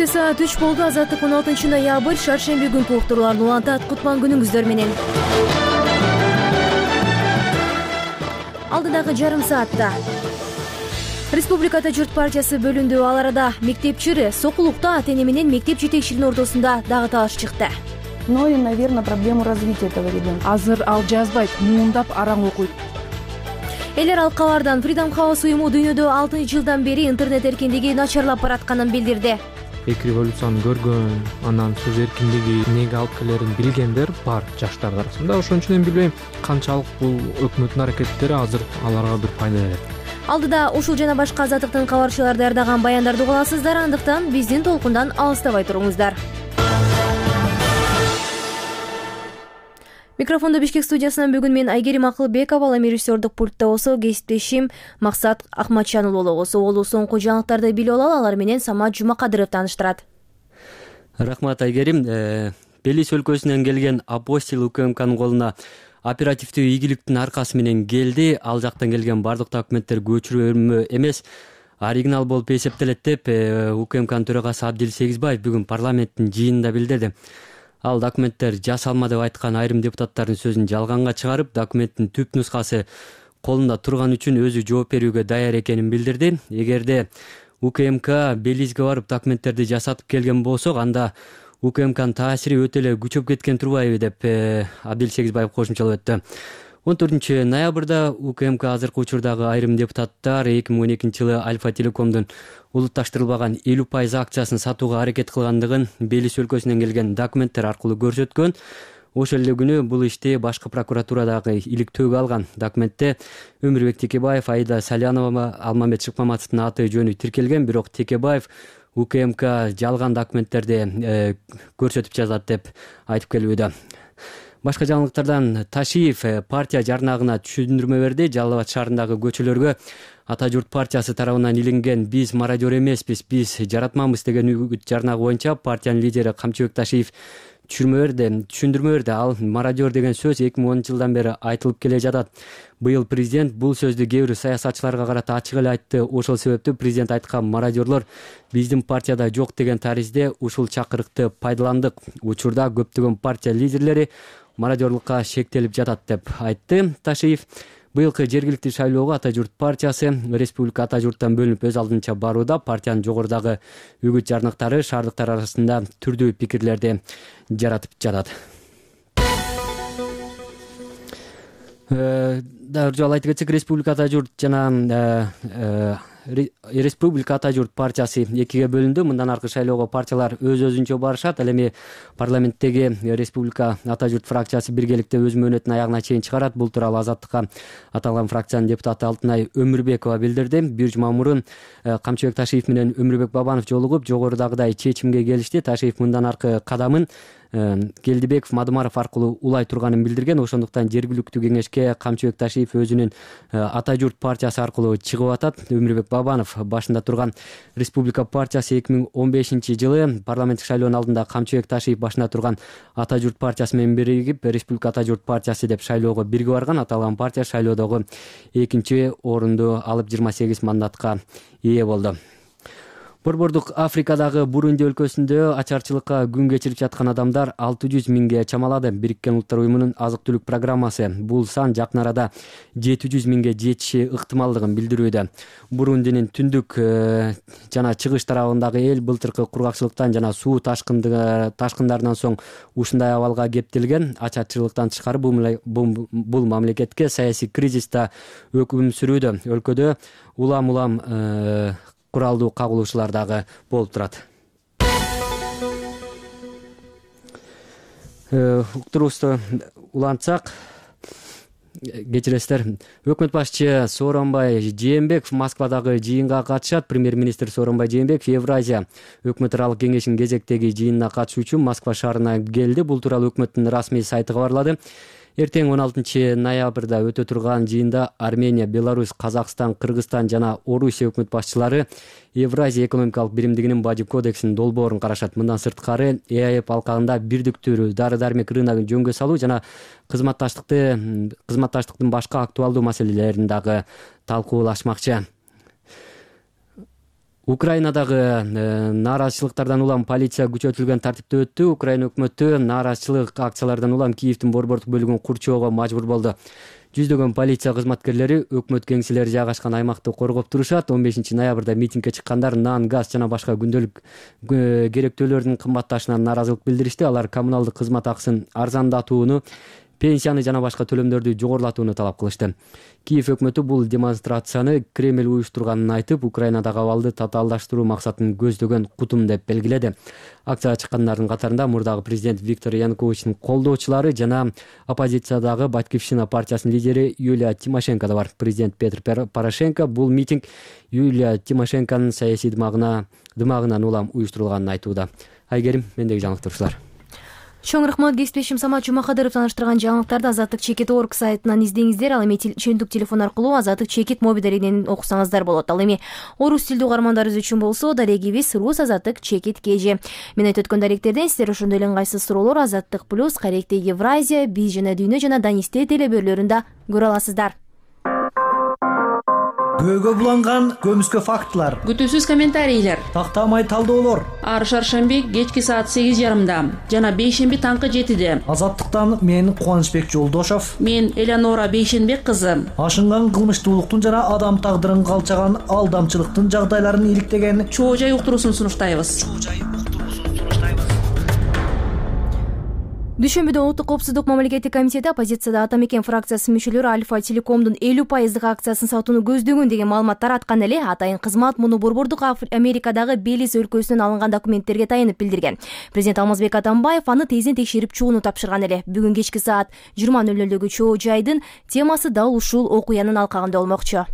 саат 3 болду. Азаттык 16-ноябрь шаршемби күнкү уктурууларды улантат. Кутман күнүңүздөр менен. Алдыдагы жарым саатта Республикада журт партиясы бөлүндү. Ал арада мектепчи Сокулукта ата-эне менен мектеп жетекчилигинин ортосунда дагы талаш чыкты. Ну и, наверное, проблему развития этого ребенка. Азыр ал жазбайт, муундап араң окуйт. Элер алкалардан Freedom House уюму дүйнөдө 6-жылдан бери интернет эркиндиги начарлап баратканын билдирди. Эки революцияны көргөн, анан сөз эркиндиги эмнеге алып келерин билгендер бар жаштар арасында. Ошон үчүн билбейм канчалык бул өкмөттүн аракеттери азыр аларга бир пайда берет. Алдыда ушул жана башка азаттыктын кабарчылары даярдаган баяндарды уга аласыздар. Андыктан биздин толкундан алыстабай туруңуздар. Микрофондо Бишкек студиясынан бүгүн мен Айгерим Акылбекова, ал эми режиссердук пультта болсо кесиптешим Максат Акматжан уулу болсо. Олу соңку жаңылыктарды билип алалы, алар менен Самат Жумакадыров тааныштырат. Рахмат Айгерим. Белис өлкөсүнөн келген Апостил УКМКнын колуна оперативдүү ийгиликтин аркасы менен келди. Ал жактан келген бардык документтер көчүрмө эмес, оригинал болуп эсептелет деп УКМКнын төрагасы Абдил Сегизбаев бүгүн парламенттин жыйынында билдирди. Ал документтер жасалма деп айткан айрым депутаттардын сөзүн жалганга чыгарып, документтин түп нускасы колунда турган үчүн өзү жооп берүүгө даяр экенин билдирди. Эгерде УКМК Белизге барып документтерди жасатып келген болсок, анда УКМКнын таасири өтө эле күчөп кеткен турбайбы деп Абдил Сегизбаев кошумчалап өттү. 14-ноябрда УКМК азыркы учурдагы айрым депутаттар 2012-жылы Альфа Телекомдун улутташтырылбаган 50% акциясын сатууга аракет кылгандыгын Белис өлкөсүнөн келген документтер аркылуу көрсөткөн. Ошол эле күнү бул ишти башкы прокуратурадагы иликтөөгө алган. Документте Өмүрбек Текебаев, Аида Салянова, Алмамет Шыкмаматовдун аты жөнү тиркелген, бирок Текебаев УКМК жалган документтерди көрсөтүп жазат деп айтып келүүдө. Башка жаңылыктардан Ташиев партия жарнагына түшүндүрмө берди. Жалал Абад шаарындагы көчөлөргө Ата журт партиясы тарабынан илинген "Биз мародер эмеспиз, биз жаратмамыз" деген үгүт жарнагы боюнча партиянын лидери Камчыбек Ташиев түшүндүрмө берди. Ал мародер деген сөз 2010-жылдан бери айтылып келе жатат. Быйыл президент бул сөздү кээ бир саясатчыларга карата ачык эле айтты. Ошол себептүү президент айткан мародерлор биздин партияда жок деген таризде ушул чакырыкты пайдаландык. Учурда көптөгөн партия лидерлери мародерлукка шектелип жатат деп айтты Ташиев. Быйылкы жергиликтүү шайлоого Ата журт партиясы республика Ата журттан бөлүнүп өз алдынча барууда. Партиянын жогорудагы үгүт жарныктары шаардыктар арасында түрдүү пикирлерди жаратып жатат. Дагы жолу айтып кетсек, Республика Ата журт жана Республика Ата журт партиясы экиге бөлүндү. Мындан аркы шайлоого партиялар өз-өзүнчө барышат. Ал эми парламенттеги Республика Ата журт фракциясы биргеликте өз мөөнөтүн аягына чейин чыгарат. Бул тууралуу Азаттыкка аталган фракциянын депутаты Алтынай Өмүрбекова билдирди. Бир жума мурун Камчыбек Ташиев менен Өмүрбек Бабанов жолугуп, жогорудагыдай чечимге келишти. Ташиев мындан аркы кадамын Келдибеков Мадымаров аркылуу улай турганын билдирген. Ошондуктан жергиликтүү кеңешке Камчыбек Ташиев өзүнүн Ата журт партиясы аркылуу чыгып атат. Өмүрбек Бабанов башында турган Республика партиясы 2015-жылы парламенттик шайлоонун алдында Камчыбек Ташиев башында турган Ата журт партиясы менен биригип Республика Ата журт партиясы деп шайлоого бирге барган. Аталган партия шайлоодогу экинчи орунду алып 28 мандатка ээ болду. Борбордук Африкадагы Бурунди өлкөсүндө ачарчылыкка күн кечирип жаткан адамдар 600 миңге чамалады. Бириккен Улуттар уюмунун азык-түлүк программасы бул сан жакын арада 700 миңге жетиши ыктымалдыгын билдирүүдө. Бурундинин түндүк жана чыгыш тарабындагы эл былтыркы кургакчылыктан жана суу ташкындарынан соң ушундай абалга кептелген. Ачарчылыктан тышкары бул мамлекетке саясий кризис да өкүм сүрүүдө. Өлкөдө улам куралдуу кагылышуулар дагы болуп турат. Уктуруубузду улантсак, кечиресиздер. Өкмөт башчы Сооронбай Жээнбеков Москвадагы жыйынга катышат. Премьер-министр Сооронбай Жээнбеков Евразия өкмөт аралык кеңешинин кезектеги жыйынына катышуу үчүн Москва шаарына келди. Бул тууралуу өкмөттүн расмий сайты кабарлады. Эртең 16-ноябрда өтө турган жыйында Армения, Беларусь, Казакстан, Кыргызстан жана Орусия өкмөт башчылары Евразия экономикалык биримдигинин бажы кодексинин долбоорун карашат. Мындан сырткары ЭАЭП алкагында бирдиктүү дары-дармек рыногун жөнгө салуу жана кызматташтыктын башка актуалдуу маселелерин дагы талкуулашмакчы. Украинадагы нааразычылыктардан улам полиция күчөтүлгөн тартипте өттү. Украина өкмөтү нааразычылык акциялардан улам Киевдин борбордук бөлүгүн курчоого мажбур болду. Жүздөгөн полиция кызматкерлери өкмөт кеңселери жайгашкан аймакты коргоп турушат. 15 ноябрда митингге чыккандар нан, газ жана башка күндөлүк керектөөлөрдүн кымбатташынан нааразылык билдиришти. Алар коммуналдык кызмат акысын арзандатууну, пенсияны жана башка төлөмдөрдү жогорулатууну талап кылышты. Киев өкмөтү бул демонстрацияны Кремль уюштурганын айтып, Украинадагы абалды татаалдаштыруу максатын көздөгөн кутум деп белгиледи. Акцияга чыккандардын катарында мурдагы президент Виктор Януковичтин колдоочулары жана оппозициядагы Батькивщина партиясынын лидери Юлия Тимошенко да бар. Президент Петр Порошенко бул митинг Юлия Тимошенконун саясий дымагынан улам уюштурулганын айтууда. Айгерим, мендеги жаңылыктар ушулар. Чоң рахмат. Кесиптешим Самат Жумакадыров тааныштырган жаңылыктарды Азаттык Чекит.org сайтынан издеңиздер. Ал эми чөйүндүк телефон аркылуу Азаттык Чекит мобилдеринен окусаңыздар болот. Ал эми орус тилдүү угармандарыбыз үчүн болсо дарегибиз Рус Азаттык Чекит КЖ. Мен айтып өткөн даректерден сиздер ошондой эле ыңгайсыз суроолор Азаттык плюс, Каректе Евразия, Биз жана Дүйнө жана Данисте телебөрлөрүндө көрө аласыздар. Көөгө буланган көмүскө фактылар, күтүүсүз комментарийлер, тактамай талдоолор. Ар шаршемби кечки саат 8:30, жана бейшемби таңкы 7:00. Азаттыктан мен Кубанычбек Жолдошов, мен Элеонора Бейшенбек кызы. Ашынган кылмыштуулуктун жана адам тагдырын калчаган алдамчылыктын жагдайларын иликтеген чоо жай уктуруусун сунуштайбыз. Дүйшөмбүдө Улуттук коопсуздук мамлекеттик комитети оппозицияда Ата Мекен фракциясынын мүчөлөрү Альфа Телекомдун 50% акциясын сатууну көздөгөн деген маалымат тараткан эле атайын кызмат муну Борбордук Америкадагы Белиз өлкөсүнөн алынган документтерге таянып билдирген. Президент Алмазбек Атамбаев аны тезин текшерип чыгууну тапшырган эле. Бүгүн кечки саат 20:00дөгү чоо жайдын темасы дал ушул окуянын алкагында болмокчу.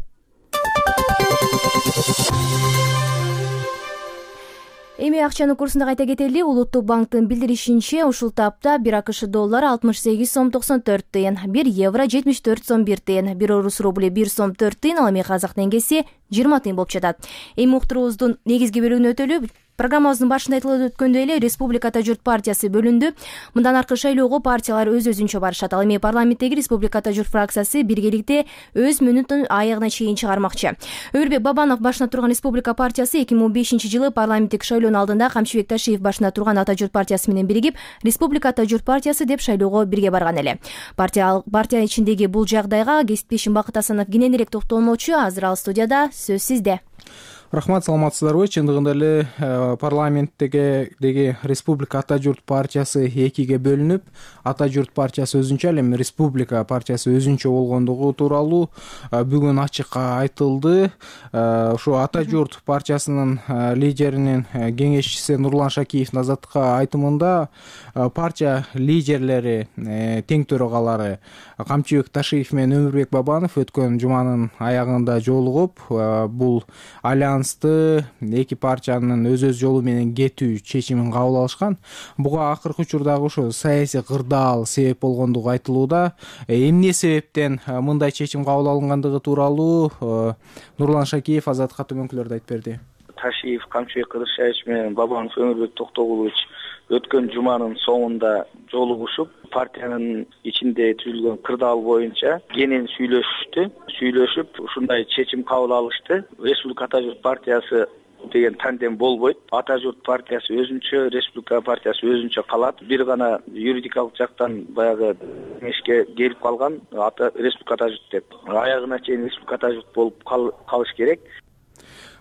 Эми акчанын курсунда кайта кетели. Улуттук банктын билдиришинче, ушул тапта 1 АКШ доллары 68 сом 94 тыйын, 1 евро 74 сом 1 тыйын, 1 орус рубли 1 сом 4 тыйын, ал эми казак теңгеси 20 тыйын болуп жатат. Эми уктуруубуздун негизги бөлүгүнө өтөлү. Программабыздын башында айтылып өткөндөй эле Республика Ата журт партиясы бөлүндү. Мындан аркы шайлоого партиялар өз-өзүнчө барышат. Ал эми парламенттеги Республика Ата журт фракциясы биргеликте өз мөөнөтүн аягына чейин чыгармакчы. Өмүрбек Бабанов башына турган Республика партиясы 2015-жылы парламенттик шайлоонун алдында Камчыбек Ташиев башына турган Ата журт партиясы менен биригип Республика Ата журт партиясы деп шайлоого бирге барган эле. Партия ичиндеги бул жагдайга кесиптешим Бакыт Асанов кененирээк токтолмокчу. Азыр ал студияда, сөз сизде. Рахмат, саламатсыздарбы? Чындыгында эле парламенттеги Республика Ата журт партиясы экиге бөлүнүп, Ата журт партиясы өзүнчө, ал эми Республика партиясы өзүнчө болгондугу тууралуу бүгүн ачык айтылды. Ошо Ата журт партиясынын лидеринин кеңешчиси Нурлан Шакиевдин Азаттыкка айтымында партия лидерлери, тең төрагалары Камчыбек Ташиев менен Өмүрбек Бабанов өткөн жуманын аягында жолугуп, бул эки партиянын өз жолу менен кетүү чечимин кабыл алышкан. Буга акыркы учурдагы ошо саясий кырдаал себеп болгондугу айтылууда. Эмне себептен мындай чечим кабыл алынгандыгы тууралуу Нурлан Шакиев Азаттыкка төмөнкүлөрдү айтып берди. Ташиев Камчыбек Кыдыршаевич менен Бабанов Өмүрбек Токтогулович өткөн жуманын соңунда жолугушуп, партиянын ичинде түзүлгөн кырдаал боюнча кенен сүйлөшүп, ушундай чечим кабыл алышты. Республика Ата журт партиясы деген тандем болбойт. Ата журт партиясы өзүнчө, Республика партиясы өзүнчө калат. Бир гана юридикалык жактан баягы кеңешке келип калган Республика Ата журт деп. Аягына чейин Республика Ата журт болуп калыш керек.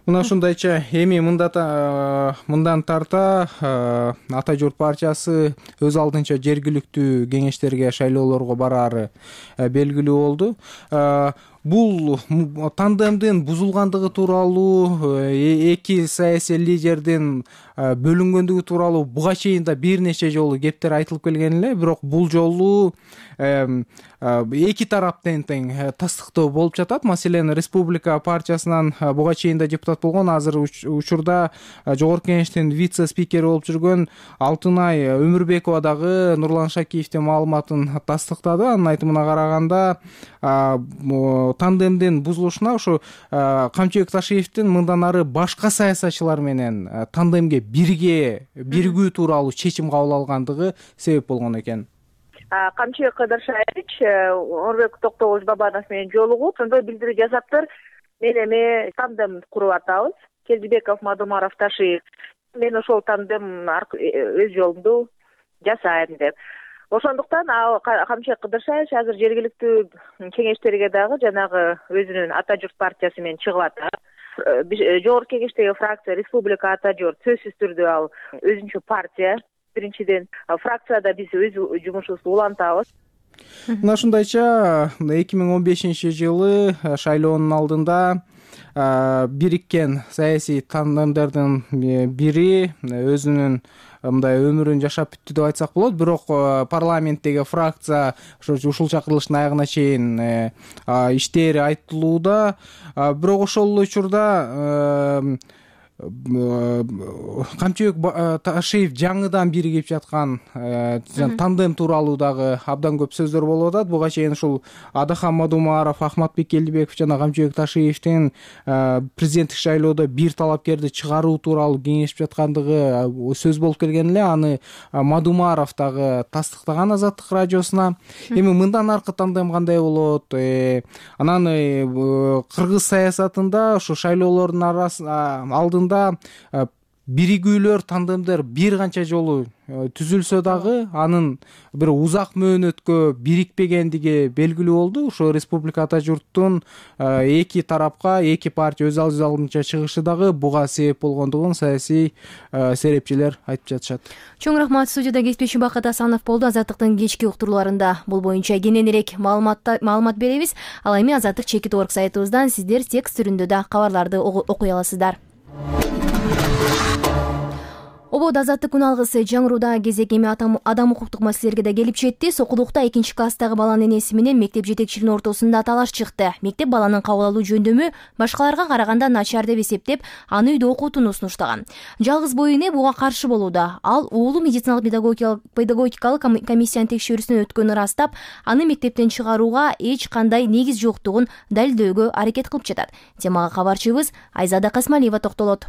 Мына ушундайча эми мындан тарта Ата журт партиясы өз алдынча жергиликтүү кеңештерге, шайлоолорго бараары белгилүү болду. Бул тандемдин бузулгандыгы тууралуу, эки саясий лидердин бөлүнгөндүгү тууралуу буга чейин да бир нече жолу кептер айтылып келген эле, бирок бул жолу эки тараптан тең тастыктоо болуп жатат. Маселен, Республика партиясынан буга чейин да депутат болгон, азыр учурда Жогорку Кеңештин вице-спикери болуп жүргөн Алтынай Өмүрбекова дагы Нурлан Шакиевдин маалыматын тастыктады. Анын айтымына караганда, тандемдин бузулушуна ошо Камчыбек Ташиевдин мындан ары башка саясатчылар менен тандемге биригүү тууралуу чечим кабыл алгандыгы себеп болгон экен. Камчыбек Кыдыршаевич Өмүрбек Токтогулович Бабанов менен жолугуп, ошондой билдирүү жасаптыр. Мен эми тандем куруп атабыз. Келдибеков, Мадумаров, Ташиев. Мен ошол тандем өз жолумду жасайм деп. Ошондуктан Камчыбек Кыдыршаевич азыр жергиликтүү кеңештерге дагы жанагы өзүнүн Ата журт партиясы менен чыгып атат. Жогорку кеңештеги фракция Республика Ата журт сөзсүз түрдө ал өзүнчө партия. Биринчиден, фракцияда биз өз жумушубузду улантабыз. Мына ушундайча 2015-жылы шайлоонун алдында бириккен саясий тандемдердин бири өзүнүн мындай өмүрүн жашап бүттү деп айтсак болот. Бирок парламенттеги фракция ушул чакырылыштын аягына чейин иштери айтылууда. Бирок ошол учурда Камчыбек Ташиев жаңыдан биригип жаткан тандем тууралуу дагы абдан көп сөздөр болуп атат. Буга чейин ушул Адахан Мадумаров, Ахматбек Келдибеков жана Камчыбек Ташиевдин президенттик шайлоодо бир талапкерди чыгаруу тууралуу кеңешип жаткандыгы сөз болуп келген эле. Аны Мадумаров дагы тастыктаган Азаттык радиосуна. Эми мындан аркы тандем кандай болот? Анан кыргыз саясатында ушу шайлоолордун алдында биригүүлөр, тандемдер бир канча жолу түзүлсө дагы анын бир узак мөөнөткө бирикпегендиги белгилүү болду. Ошо Республика Ата журттун эки тарапка, эки партия өз алдынча чыгышы дагы буга себеп болгондугун саясий серепчилер айтып жатышат. Чоң рахмат. Студияда кесипчи Бакыт Асанов болду. Азаттыктын кечки уктурууларында бул боюнча кененирээк маалымат беребиз. Ал эми Азаттык чекит орг сайтыбыздан сиздер текст түрүндө да кабарларды окуй аласыздар. Обод Азаттык күн алгысы жаңырууда кезек эми адам укуктук маселелерге да келип жетти. Сокулукта 2-класстагы баланын энеси менен мектеп жетекчилигинин ортосунда талаш чыкты. Мектеп баланын кабыл алуу жөндөмү башкаларга караганда начар деп эсептеп, аны үйдө окутууну сунуштаган. Жалгыз бой эне буга каршы болууда. Ал уулу медициналык педагогикалык комиссиянын текшерүүсүнөн өткөнүн ырастап, аны мектептен чыгарууга эч кандай негиз жоктугун далилдөөгө аракет кылып жатат. Темага кабарчыбыз Айзада Касмалиева токтолот.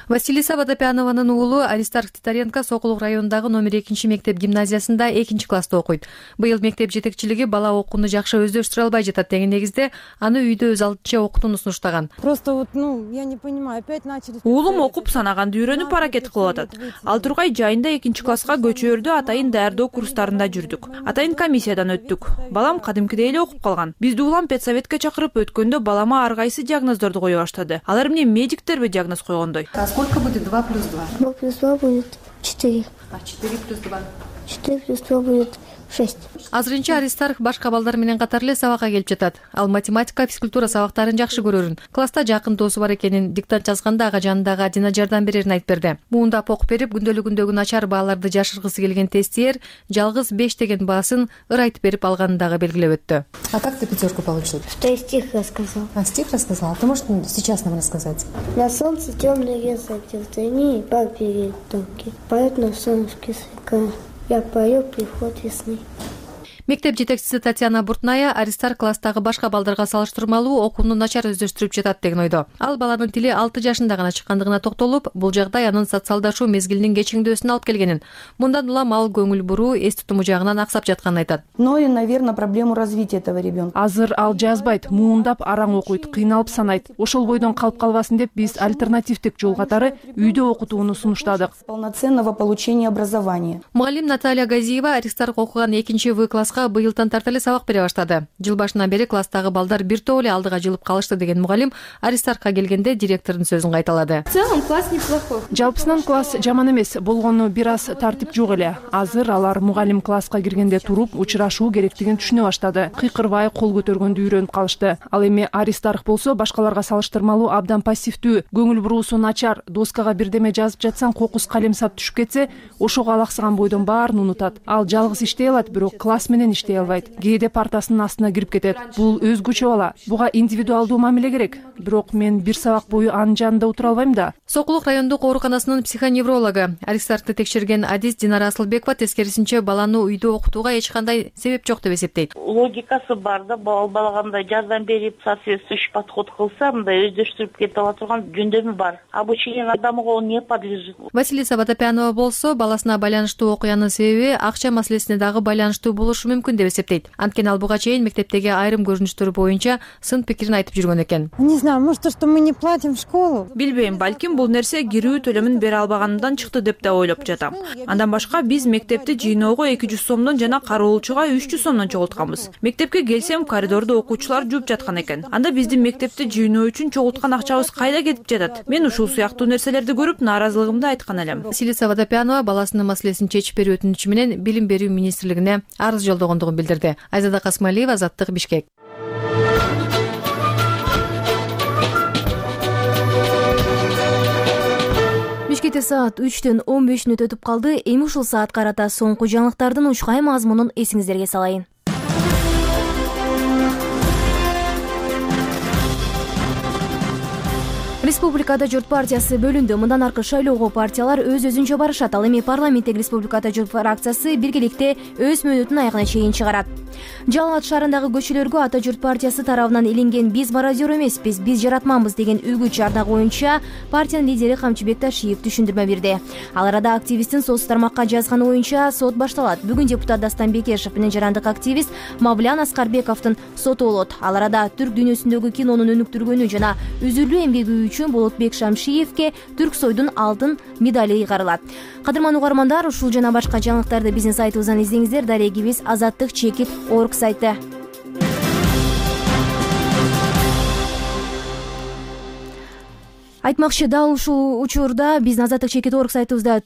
Василиса Водопянованын уулу Аристарх Титаренко Сокулук районундагы номер 2 мектеп гимназиясында 2-класста окуйт. Быйыл мектеп жетекчилиги бала окууну жакшы өздөштүрө албай жатат деген негизде аны үйдө өз алдынча окутууну сунуштаган. Просто я не понимаю, опять начали. Уулум окуп санаганды үйрөнүп аракет кылып атат. Ал тургай жайында 2-класска көчөөрдө атайын даярдоо курстарында жүрдүк. Атайын комиссиядан өттүк. Балам кадимкидей эле окуп калган. Бизди улам педсоветке чакырып өткөндө балама ар кайсы диагноздорду кое баштады. Алар эмне медиктерби диагноз койгондой. А сколько будет 2 плюс 2? 2 плюс 2 будет 4. А 4 плюс 2? 4 плюс 2 будет 6. Азырынча Аристарх башка балдар менен катар эле сабакка келип жатат. Ал математика, физкультура сабактарын жакшы көрөрүн. Класста жакын досу бар экенин диктант жазганда ага жанындагы Адина жардам берерин айтып берди. Муунда окуп берип, күндөлүгүндөгү начар бааларды жашыргысы келген тестиер жалгыз 5 деген баасын ыр айтып берип алганын дагы белгилеп өттү. А как ты 5 получил? Что я стих рассказал. А стих рассказал? А ты можешь сейчас нам рассказать? На солнце темный лес одел, тени и пар перед домки. Поет на солнышке свекая. Я пою приход весны. Мектеп жетекчиси Татьяна Буртная Аристарх класстагы башка балдарга салыштырмалуу окууну начар өздөштүрүп жатат деген ойдо. Ал баланын тили 6 жашында гана чыккандыгына токтолуп, бул жагдай анын социалдашуу мезгилинин кечиңдөөсүнө алып келгенин. Мындан улам ал көңүл буруу, эс тутуму жагынан аксап жатканын айтат. Но и, наверное, проблему развития этого ребенка. Азыр ал жазбайт, муундап араң окуйт, кыйналып санайт. Ошол бойдон калып калбасын деп биз альтернативдик жол катары үйдө окутууну сунуштадык. Полноценного получения образования. Мугалим Наталья Газиева Аристарх окуган 2-В класска быйылдан тарта эле сабак бере баштады. Жыл башынан бери класстагы балдар бир топ эле алдыга жылып калышты деген мугалим Аристархка келгенде директордун сөзүн кайталады. В целом класс неплохой. Жалпысынан класс жаман эмес, болгону бир аз тартип жок эле. Азыр алар мугалим класска киргенде туруп учурашуу керектигин түшүнө баштады. Кыйкырбай кол көтөргөндү үйрөнүп калышты. Ал эми Аристарх болсо башкаларга салыштырмалуу абдан пассивдүү, көңүл буруусу начар, доскага бирдеме жазып жатсаң кокус калем сап түшүп кетсе, ошого алаксыган бойдон баарын унутат. Ал жалгыз иштей алат, бирок класс менен иштей албайт. Кээде партасынын астына кирип кетет. Бул өзгөчө бала. Буга индивидуалдуу мамиле керек. Бирок мен бир сабак бою анын жанында отура албайм да. Сокулук райондук ооруканасынын психоневрологу Аристархты текшерген адис Динара Асылбекова тескерисинче баланы үйдө окутууга эч кандай себеп жок деп эсептейт. Логикасы бар да, бала кандай жардам берип, соответствующий подход кылса, мындай өздөштүрүп кете ала турган жөндөмү бар. Обучение адамга он не подлежит. Василиса Водопянова болсо баласына байланыштуу окуянын себеби акча маселесине дагы байланыштуу болушу мүмкүн деп эсептейт. Анткени ал буга чейин мектептеги айрым көрүнүштөр боюнча сын пикирин айтып жүргөн экен. Не знаю, может, то, что мы не платим в школу. Билбейм, балким бул нерсе кирүү төлөмүн бере албаганымдан чыкты деп да ойлоп жатам. Андан башка биз мектепти жыйноого 200 сомдон жана кароолчуга 300 сомдон чогултканбыз. Мектепке келсем, коридордо окуучулар жууп жаткан экен. Анда биздин мектепти жыйноо үчүн чогулткан акчабыз кайда кетип жатат? Мен ушул сыяктуу нерселерди көрүп, нааразылыгымды айткан элем. Силица Водопянова баласынын маселесин чечип берүү өтүнүчү менен Билим берүү министрлигине арыз жолдогондугун билдирди. Айзада Касмалиева, Азаттык, Бишкек. Бишкекте саат 3:15 өтүп калды. Эми ушул саат карата соңку жаңылыктардын учкай мазмунун эсиңиздерге салайын. Республикада журт партиясы бөлүндү. Мындан аркы шайлоого партиялар өз-өзүнчө барышат. Ал эми парламенттеги Республикада журт фракциясы биргеликте өз мөөнөтүн аягына чейин чыгарат. Жалал Абад шаарындагы көчөлөргө Ата журт партиясы тарабынан иленген "Биз мародер эмеспиз, биз жаратманбыз" деген үгүт чарда боюнча партиянын лидери Камчыбек Ташиев түшүндүрмө берди. Ал арада активисттин соц тармакка жазганы боюнча сот башталат. Бүгүн депутат Дастан Бекешев менен жарандык активист Мавлян Аскарбековдун соту болот. Ал арада түрк дүйнөсүндөгү кинонун өнүктүргөнү жана үзүрлүү эмгеги үчүн Болотбек Шамшиевке Түрксойдун алтын медали ыйгарылат. Кадырман угармандар, ушул жана башка жаңылыктарды биздин сайтыбыздан издеңиздер. Дарегибиз azattik.org сайты. Айтмакчы, дал ушул учурда биздин azattik.org сайтыбызда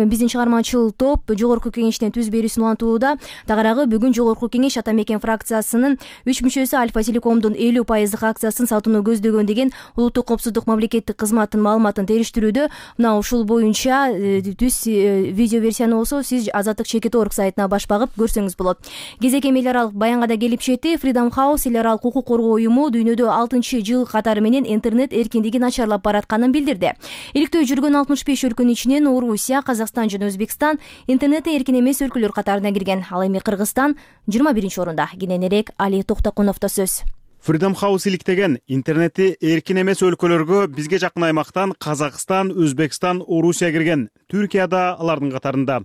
биздин чыгармачыл топ жогорку кеңештин түз берүүсүн улантууда. Тагарагы бүгүн жогорку кеңеш Ата Мекен фракциясынын 3 мүчөсү Альфа Телекомдун 50% акциясын сатууну көздөгөн деген улуттук коопсуздук мамлекеттик кызматтын маалыматын териштирүүдө. Мына ушул боюнча түз видео версияны болсо сиз azattik.org сайтына баш багып көрсөңүз болот. Кезек эми эл аралык баянга да келип жетти. Freedom House эл аралык укук коргоо уюму дүйнөдө 6-жыл катары менен интернет эркиндиги начарлап баратканын билдирди. Иликтөө жүргөн 65 өлкөнүн ичинен Орусия, Казакстан жана Өзбекстан интернетте эркин эмес өлкөлөр катарына кирген. Ал эми Кыргызстан 21 орунда. Кененирээк Али Токтокуновдо сөз. Freedom House иликтеген интернети эркин эмес өлкөлөргө бизге жакын аймактан Казакстан, Өзбекстан, Орусия кирген. Түркия да алардын катарында.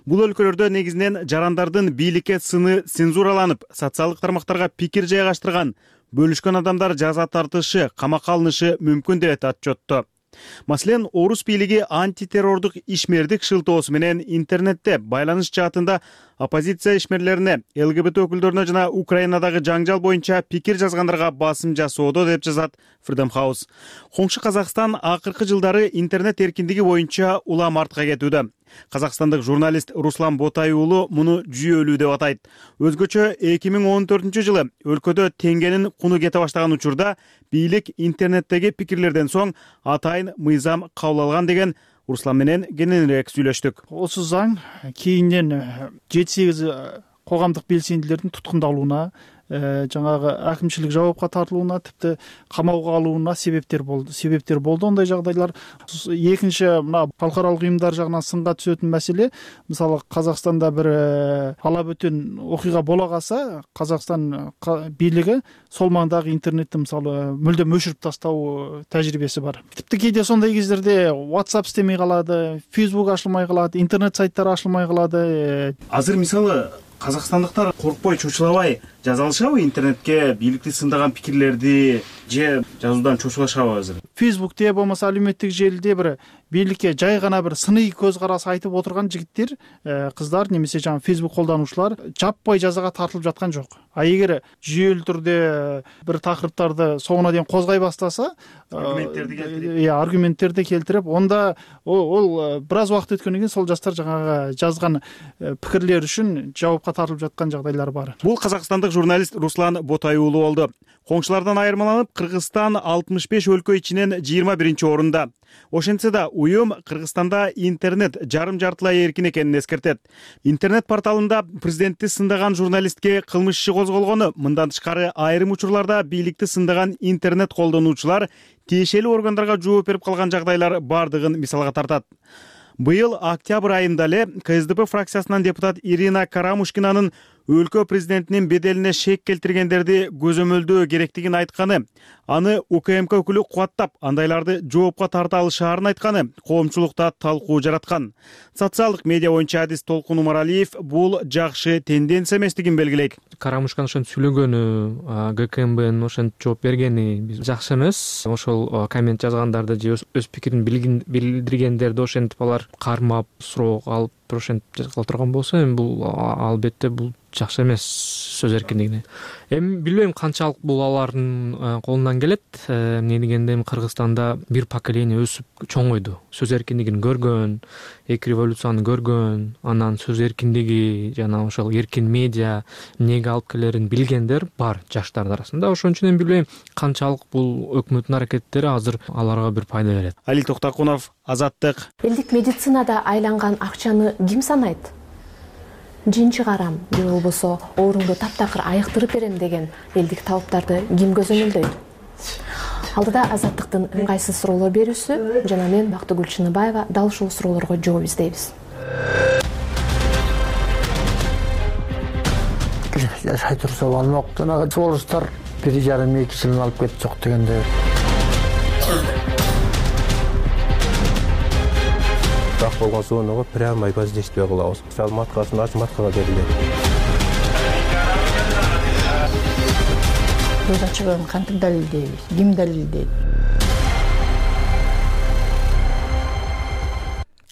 Бул өлкөлөрдө негизинен жарандардын бийликке сыны цензураланып, социалдык тармактарга пикир жайгаштырган, бөлүшкөн адамдар жаза тартышы, камакка алынышы мүмкүн деп отчетту. Маселен, Орус бийлиги антитеррордук ишмердик шылтоосу менен интернетте байланыш жаатында оппозиция ишмерлерине, ЛГБТ өкүлдөрүнө жана Украинадагы жаңжал боюнча пикир жазгандарга басым жасоодо деп жазат Freedom House. Коңшу Казакстан акыркы жылдары интернет эркиндиги боюнча улам артка кетүүдө. Казакстандык журналист Руслан Ботай уулу муну жүйөлүү деп атайт. Өзгөчө 2014 жылы өлкөдө теңгенин куну кете баштаган учурда бийлик интернеттеги пикирлерден соң атайын мыйзам кабыл алган деген Руслан менен кененирээк сүйлөштүк. Осы заң кейинен 7-8 коомдук белсендилердин туткундалууна, жаңагы акимчилик жабапка тартылууна, типти камоого алууна себептер болду. Ондай жагдайлар. Экинчи, мына калкаралык уюмдар жагынан сынга түшөтүн маселе, мисалы Казакстанда бир алабөтөн окуйга бола калса, Казакстан бийлиги сол маңдагы интернетти мисалы мүлдөм өчүрүп тастоо тажрыйбеси бар. Типти кээде сондай кездерде WhatsApp иштемей калады, Facebook ачылмай калат, интернет сайттары ачылмай калады. Азыр мисалы казакстандыктар коркпой, чочулабай жаза алышабы интернетке бийликти сындаган пикирлерди же жазуудан чочулашабы азыр? Facebook'те болмаса алюметтик желиде бир бийликке жай гана бир сыный көз карас айтып отурган жигиттер, кыздар немесе жаңы Facebook колдонуучулар жаппай жазага тартылып жаткан жок. А эгер жүйөлүү түрдө бир такырыптарды соңуна дейин козгой баштаса, аргументтерди келтирип, онда ол бир аз убакыт өткөндөн кийин сол жаштар жаңагы жазган пикирлер үчүн жабапка тартылып жаткан жагдайлар бар. Бул казакстандык журналист Руслан Ботай уулу болду. Коңшулардан айырмаланып, Кыргызстан 65 өлкө ичинен 21 орунда. Ошентсе да уюм Кыргызстанда интернет жарым-жартылай эркин экенин эскертет. Интернет порталында президентти сындаган журналистке кылмыш иши козголгону, мындан тышкары айрым учурларда бийликти сындаган интернет колдонуучулар тиешелүү органдарга жооп берип калган жагдайлар бардыгын мисалга тартат. Быйыл октябрь айында эле КСДП фракциясынан депутат Ирина Карамушкинанын өлкө президентинин беделине шек келтиргендерди көзөмөлдөө керектигин айтканы, аны УКМК өкүлү кубаттап, андайларды жоопко тарта алышаарын айтканы коомчулукта талкуу жараткан. Социалдык медиа боюнча адис Толкун Умаралиев бул жакшы тенденция эместигин белгилейт. Карамушкан ошентип сүйлөгөнү, ГКМБнын ошентип жооп бергени жакшы эмес. Ошол коммент жазгандарды же өз пикирин билдиргендерди ошентип алар кармап, суроо алып ошентип жазгыла турган болсо, эми бул албетте бул жакшы эмес сөз эркиндигине. Эми билбейм канчалык бул алардын колунан келет. Эмне дегенде эми Кыргызстанда бир поколение өсүп чоңойду. Сөз эркиндигин көргөн, эки революцияны көргөн, анан сөз эркиндиги жана ошол эркин медиа эмнеге алып келерин билгендер бар жаштар арасында. Ошон үчүн эми билбейм канчалык бул өкмөттүн аракеттери азыр аларга бир пайда берет. Алил Токтокунов, Азаттык. Элдик медицинада айланган акчаны ким санайт? Жин чыгарам же болбосо оорумду таптакыр айыктырып берем деген элдик талаптарды ким көзөмөлдөйт? Алдыда Азаттыктын ыңгайсыз суроолор берүүсү жана мен Бактыгүл Чыныбаева дал ушул суроолорго жооп издейбиз. Жашай турса болмоктун, соолуштар 1,5-2 жылын алып кетип жок дегенде. Так болгон сууну прямо воздействие кылабыз. Мисалы маткасын ачып маткага берилет. Сөз ачыгын кантип далилдейбиз? Ким далилдейт?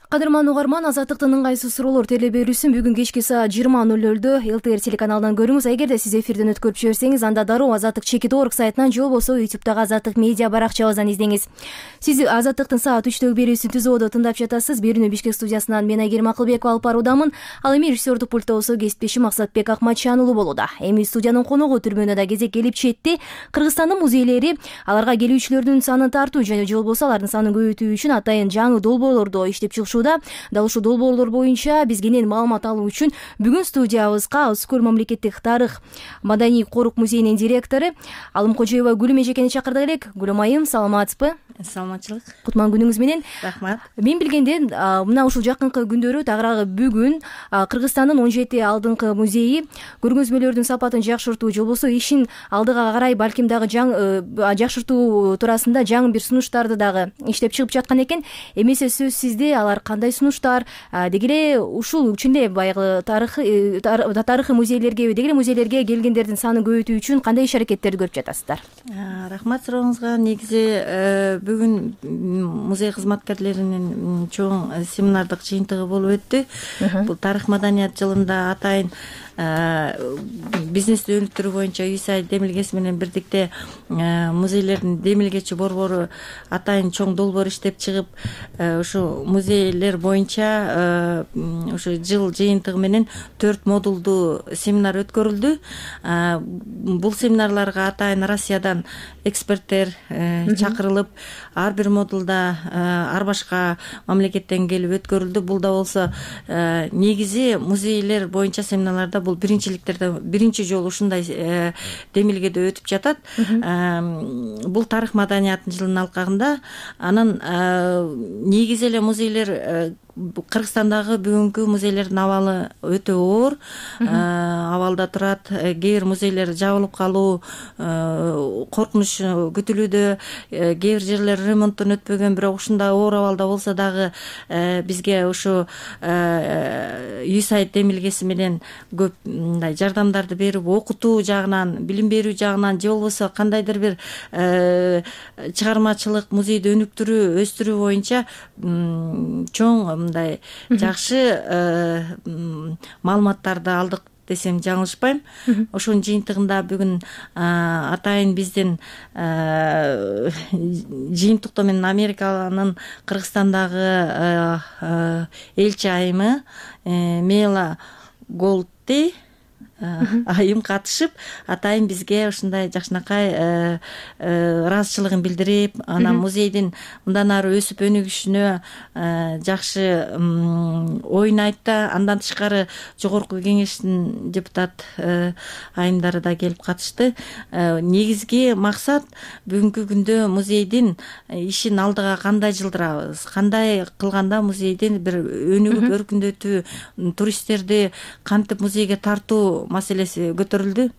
Кадырман угарман, Азаттыктын ыңгайсыз суроолор теле берүүсүн бүгүн кечки саат 20:00 ЛТР телеканалынан көрүңүз. Эгерде сиз эфирден өткөрүп жиберсеңиз, анда дароо Азаттык.org сайтынан же болбосо YouTube'дагы Азаттык медиа баракчабыздан издеңиз. Сиз Азаттыктын саат 3-төгү берүүсүн түзүүдө тыңдап жатасыз. Берүүнү Бишкек студиясынан мен Айгерим Акылбекова алып баруудамын. Ал эми режиссердук пультта болсо кесиптешим Максатбек Акматжан уулу болууда. Эми студиянын коногу түрмөнө да кезек келип четти. Кыргызстандын музейлери аларга келүүчүлөрдүн санын тартуу же болбосо алардын санын көбөйтүү үчүн атайын жаңы долбоорлорду иштеп чыгышууда. Дал ушул долбоорлор боюнча биз кенен маалымат алуу үчүн бүгүн студиябызга Ускул мамлекеттик тарых маданий корук музейинин директору Алым Кожоева Гүлүм эжекени чакырдык элек. Гүлүм айым, саламатсызбы? Саламатчылык. Кутман күнүңүз менен. Рахмат. Мен билгенде мына ушул жакынкы күндөрү тагыраагы бүгүн Кыргызстандын 17 алдыңкы музейи көргөзмөлөрдүн сапатын жакшыртуу же болбосо ишин алдыга карай балким дагы жакшыртуу туурасында жаңы бир сунуштарды дагы иштеп чыгып жаткан экен. Эмесе сөзсүздө алар кандай сунуштар, деги эле ушул чын эле баягы тарыхый музейлерге, деги эле музейлерге келгендердин санын көбөйтүү үчүн кандай иш аракеттерди көрүп жатасыздар? Рахмат сурооңузга. Негизи бүгүн музей кызматкерлеринин чоң семинардык жыйынтыгы болуп өттү. Бул тарых маданият жылында атайын бизнести өнүктүрүү боюнча USAID демилгеси менен бирдикте музейлердин демилгечи борбору атайын чоң долбоор иштеп чыгып, ушу музейлер боюнча ушу жыл жыйынтыгы менен 4 модулдуу семинар өткөрүлдү. Бул семинарларга атайын Россиядан эксперттер чакырылып, ар бир модулда ар башка мамлекеттен келип өткөрүлдү. Бул да болсо негизи музейлер боюнча семинарларда бул биринчи жолу ушундай демилгеде өтүп жатат. Бул тарых маданияттын жылынын алкагында. Анан негизи эле музейлер Кыргызстандагы бүгүнкү музейлердин абалы өтө оор абалда турат. Кээ бир музейлер жабылып калуу коркунуч күтүлүүдө, кээ бир жерлер ремонттон өтпөгөн, бирок ушундай оор абалда болсо дагы бизге ушу USAID демилгеси менен көп мындай жардамдарды берип, окутуу жагынан, билим берүү жагынан же болбосо кандайдыр бир чыгармачылык, музейди өнүктүрүү, өстүрүү боюнча чоң мындай жакшы маалыматтарды алдык десем жаңылышпайм. Ошонун жыйынтыгында бүгүн атайын биздин жыйынтыкта менен Американын Кыргызстандагы элчи айымы Мела Голдти айым катышып, атайын бизге ушундай жакшынакай ыраазычылыгын билдирип, анан музейдин мындан ары өсүп өнүгүшүнө жакшы оюн айтты. Андан тышкары жогорку кеңештин депутат айымдары да келип катышты. Негизги максат бүгүнкү күндө музейдин ишин алдыга кандай жылдырабыз, кандай кылганда музейдин бир өнүгүп өркүндөтүү, туристтерди кантип музейге тартуу маселеси көтөрүлдү.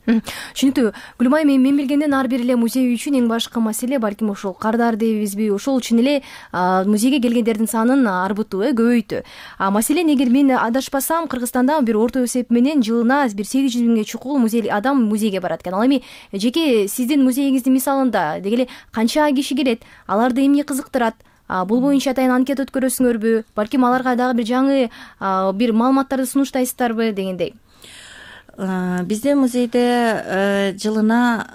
Түшүнүктүү. Гүлмайым, мен билгенден ар бир эле музей үчүн эң башкы маселе балким ошол кардар дейбизби, ошол чын эле музейге келгендердин санын арбытуу, көбөйтүү. Маселен, эгер мен адашпасам, Кыргызстанда бир орто эсеп менен жылына бир 800 миңге чукул адам музейге барат экен. Ал эми жеке сиздин музейиңиздин мисалында деги эле канча киши келет, аларды эмне кызыктырат? Бул боюнча атайын анкета өткөрөсүңөрбү? Балким аларга дагы бир жаңы бир маалыматтарды сунуштайсыздарбы дегендей. Биздин музейде жылына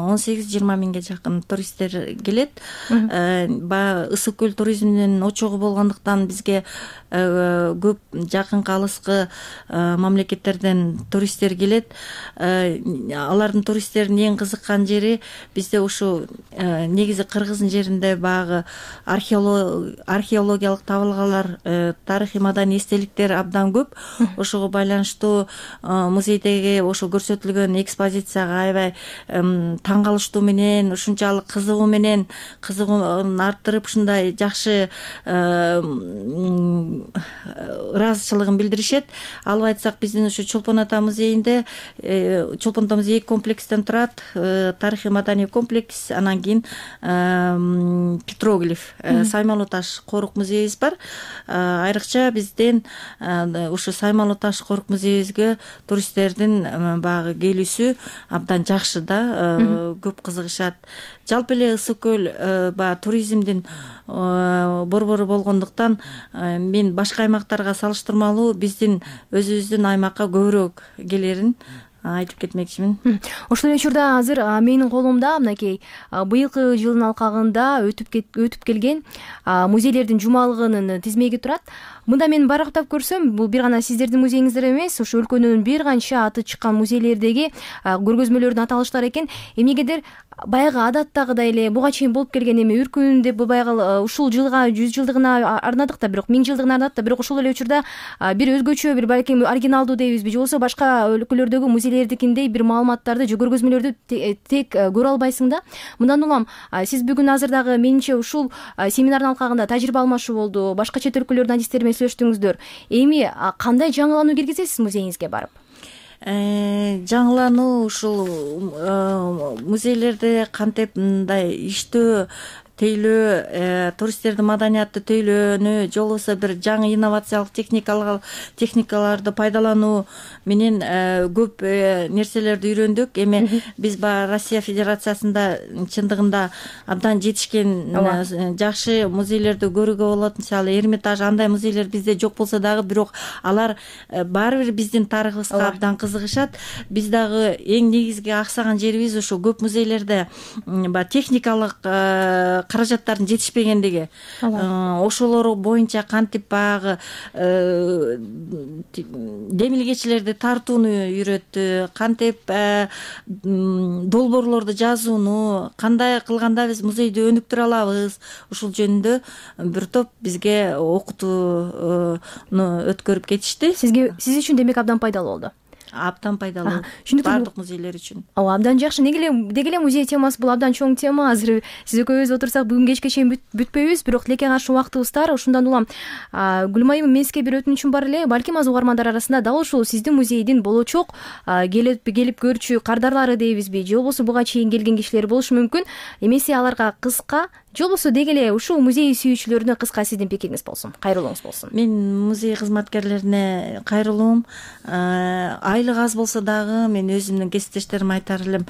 18-20 миңге жакын туристтер келет. Баягы ысык көл туризминин очогу болгондуктан бизге көп жакынкы алыскы мамлекеттерден туристтер келет. Алардын туристтердин эң кызыккан жери бизде ушу негизи Кыргыздын жеринде баягы археологиялык табылгалар, тарыхый маданий эстеликтер абдан көп. Ошого байланыштуу музейдеги ошо көрсөтүлгөн экспозицияга аябай таң калыштуу менен, ушунчалык кызыгуун арттырып, ушундай жакшы ыраазычылыгын билдиришет. Алып айтсак, биздин ушу Чолпон ата музейинде, Чолпон ата музейи комплекстен турат. Тарыхый маданий комплекс, анан кийин петроглиф, Саймалуу таш корук музейибиз бар. Айрыкча бизден ушу Саймалуу таш корук музейибизге туристтердин баягы келүүсү абдан жакшы да, көп кызыгышат. Жалпы эле ысык көл баягы туризмдин борбору болгондуктан мен башка аймактарга салыштырмалуу биздин өзүбүздүн аймакка көбүрөөк келерин айтып кетмекчимин. Ошол эле учурда азыр менин колумда мынакей быйылкы жылдын алкагында өтүп келген музейлердин жумалыгынын тизмеги турат. Мында мен барактап көрсөм, бул бир гана сиздердин музейиңиздер эмес, ошо өлкөнүн бир канча аты чыккан музейлердеги көргөзмөлөрдүн аталыштары экен. Эмнегедир баягы адаттагыдай эле буга чейин болуп келген эми үркүн деп баягы ушул жылга 100 жылдыгына арнадык да, бирок 1000 жылдыгына арнадык да, бирок ошол эле учурда бир өзгөчө, бир балким оригиналдуу дейбизби, же болбосо башка өлкөлөрдөгү музейлердикиндей бир маалыматтарды же көргөзмөлөрдү тек көрө албайсың да. Мындан улам сиз бүгүн азыр дагы менимче ушул семинардын алкагында тажрыйба алмашуу болду, башка чет өлкөлөрдүн адистери менен сүйлөштүңүздөр. Эми кандай жаңылануу киргизесиз музейиңизге барып? Жаңылануу ушул музейлерде кантип мындай иштөө, тейлөө, туристтердин маданиятты тейлөөнү, же болбосо бир жаңы инновациялык техникаларды пайдалануу менен көп нерселерди үйрөндүк. Эми биз баягы Россия Федерациясында чындыгында абдан жетишкен жакшы музейлерди көрүүгө болот. Мисалы, Эрмитаж, андай музейлер бизде жок болсо дагы, бирок алар баары бир биздин тарыхыбызга абдан кызыгышат. Биз дагы эң негизги аксаган жерибиз ошо көп музейлерде баягы техникалык каражаттардын жетишпегендиги. Ошолор боюнча кантип баягы демилгечилерди тартууну үйрөттү, кантип долбоорлорду жазууну, кандай кылганда биз музейди өнүктүрө алабыз, ушул жөнүндө бир топ бизге окутууну өткөрүп кетишти. Сиз үчүн демек абдан пайдалуу болду. Абдан пайдалуу. Бардык музейлер үчүн. Абдан жакшы. Деги эле музей темасы бул абдан чоң тема. Азыр сиз экөөбүз отурсак бүгүн кечке чейин бүтпөйбүз, бирок тилекке каршы убактыбыз тар. Ошондон улам Гүлмайым, мен сизге бир өтүнүчүм бар эле. Балким аз угармандар арасында дал ушул сиздин музейдин болочок келип көрчү кардарлары дейбизби, же болбосо буга чейин келген кишилер болушу мүмкүн. Эмесе аларга кыска, же болбосо деги эле ушул музей сүйүүчүлөрүнө кыска сиздин пикириңиз болсун, кайрылууңуз болсун. Мен музей кызматкерлерине кайрылуум. Айлык аз болсо дагы мен өзүмдүн кесиптештериме айтар элем,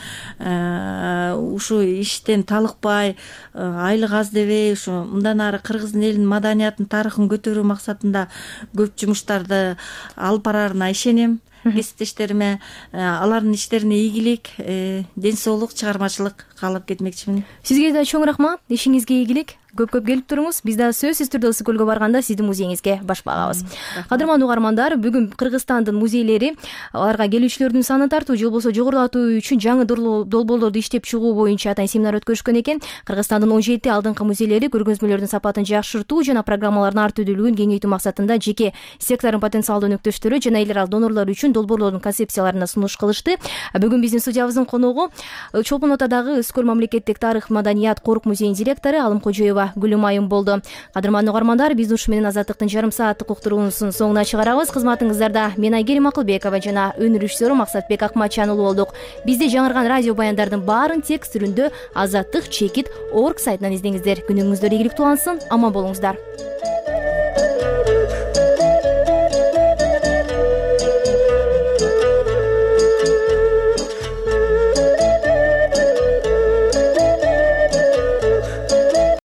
ушу иштен талыкпай, айлык аз дебей, ушу мындан ары Кыргыздын элинин маданиятын, тарыхын көтөрүү максатында көп жумуштарды алып барарына ишенем. Кесиптештериме алардын иштерине ийгилик, ден соолук, чыгармачылык каалап кетмекчимин. Сизге да чоң рахмат, ишиңизге ийгилик. Көп келип туруңуз. Биз да сөзсүз түрдө ысык көлгө барганда сиздин музейиңизге баш багабыз. Кадырмандуу угармандар, бүгүн Кыргызстандын музейлери аларга келүүчүлөрдүн санын тартуу же болбосо жогорулатуу үчүн жаңы долбоорлорду иштеп чыгуу боюнча атайын семинар өткөрүшкөн экен. Кыргызстандын 17 алдыңкы музейлери көргөзмөлөрдүн сапатын жакшыртуу жана программалардын ар түрдүүлүгүн кеңейтүү максатында жеке сектордун потенциалдуу өнөктөштөрү жана эл аралык донорлор үчүн долбоорлордун концепцияларына сунуш кылышты. Бүгүн биздин студиябыздын коногу Чолпон Атадагы Өскөр мамлекеттик тарых маданият корук музейинин директору Алым Кожоева Гүлүм айым болду. Кадырман угармандар, биз ушу менен Азаттыктын жарым сааттык уктуруусунун соңуна чыгарабыз. Кызматыңыздарда мен Айгерим Акылбекова жана өнөр режиссеру Максатбек Акматжан уулу болдук. Бизде жаңырган радио баяндардын баарын текст түрүндө Азаттык.org сайтынан издеңиздер. Күнүңүздөр ийгиликтүү улансын, аман болуңуздар.